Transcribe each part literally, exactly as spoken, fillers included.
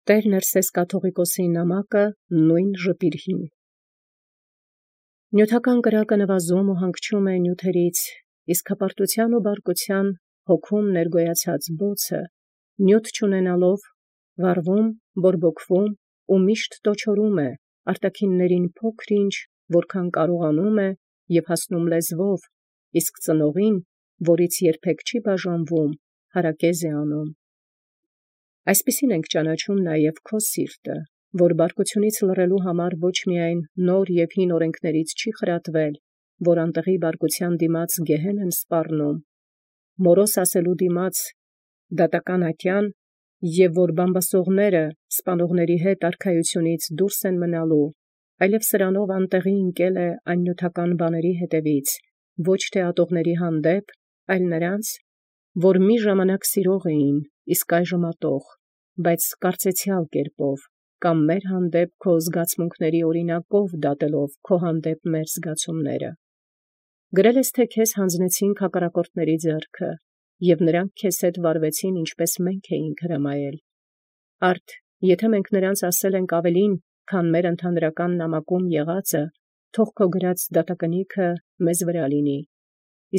Տեր Ներսես կաթողիկոսի նամակը նույն ժպիրհին։ Նյութական կրակը նվազում ու հանգչում է նյութերից, իսկ հպարտության ու բարկության հոգում ներգոյացած բոցը, նյութ չունենալով, վառվում, բորբոքվում ու միշտ տոչորում է արտաքիններին փոքր-ինչ, որքան կարողանում է և հասնում լեզվով, իսկ ծնողին, որից երբեք չի բաժանվում, հարակեզ է անում։ Այսպիսին ենք ճանաչում նաև քո սիրտը, որ բարկությունից լռելու համար ոչ միայն նոր և հին օրենքներից չի խրատվել, որ անտեղի բարկության դիմաց գեհեն են սպառնում, մորոս ասելու դիմաց դատական ատյան, և որ բամբասողները սպանողների հետ արքայությունից դուրս են մնալու, այլև սրանով անտեղի ընկել է այն նյութական բաների հետևից, ոչ թե ատողների հանդեպ, այլ նրանց, որ մի ժամանակ սիրող էին, իսկ այժմ ատող, բայց կարծեցյալ կերպով, կամ մեր հանդեպ քո զգացմունքների օրինակով դատելով քո հանդեպ մեր զգացումները։ Գրել ես, թե քեզ հանձնեցինք հակառակորդների ձեռքը, և նրանք քեզ հետ վարվեցին, ինչպես մենք էինք հրամայել։ Արդ, եթե մենք նրանց ասել ենք ավելին, քան մեր ընդհանրական նամակում եղածը, թող քո գրած դատակնիքը մեզ վրա լինի։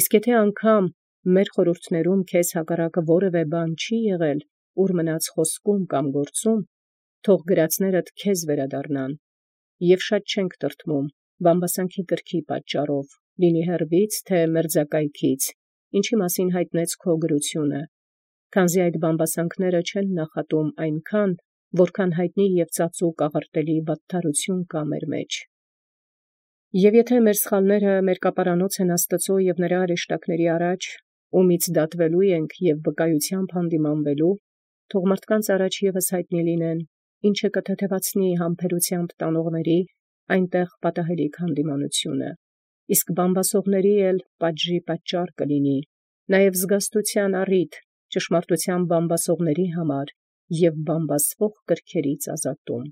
Իսկ եթե անգամ մեր խորհուրդներում քեզ հակառակը որևէ բան չի եղել, ուր մնաց խոսքում կամ գործում, թող գրածներդ քեզ վերադառնան, և շատ չենք տրտմում բամբասանքի կրքի պատճառով, լինի հեռվից, թե մերձակայքից, ինչի մասին հայտնեց քո գրությունը, քանզի այդ բամբասանքները չեն նախատում այնքան, որքան հայտնի և ծածուկ աղարտելի վատթարություն կա մեր մեջ։ Եվ եթե մեր սխալները մերկապարանոց են Աստծո և նրա հրեշտակների առաջ, ումից դատվելու ենք և վկայությամբ հանդիմանվելու, թող մարդկանց առաջ ևս հայտնի լինեն, ինչը կթեթևացնի համբերությամբ տանողների այնտեղ պատահելիք հանդիմանությունը, իսկ բամբասողների էլ պատժի պատճառ կլինի, նաև զգաստության առիթ ճշմարտության բամբասողների համար և բամբասվող կրքերից ազատում։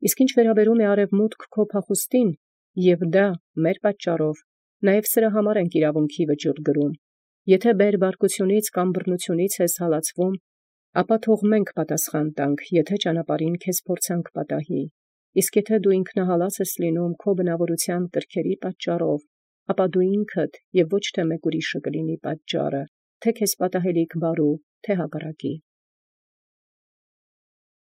Իսկ ինչ վերաբերում է արևմուտք քո փախուստին, և դա մեր պատճառով, նաև սրա համար ենք իրավունքի վճիռ գրում, եթե բեր բարկությունից կամ բռնությունից ես հալածվում, ապա թող մենք պատասխան տանք, եթե ճանապարհին քեզ փորձանք պատահի, իսկ եթե դու ինքնահալած ես լինում քո բնավորության կրքերի պատճառով, ապա դու ինքդ և ոչ թե մեկ ուրիշը կլինի պատճառը, թե քեզ պատահելիք բարու, թե հակառակի։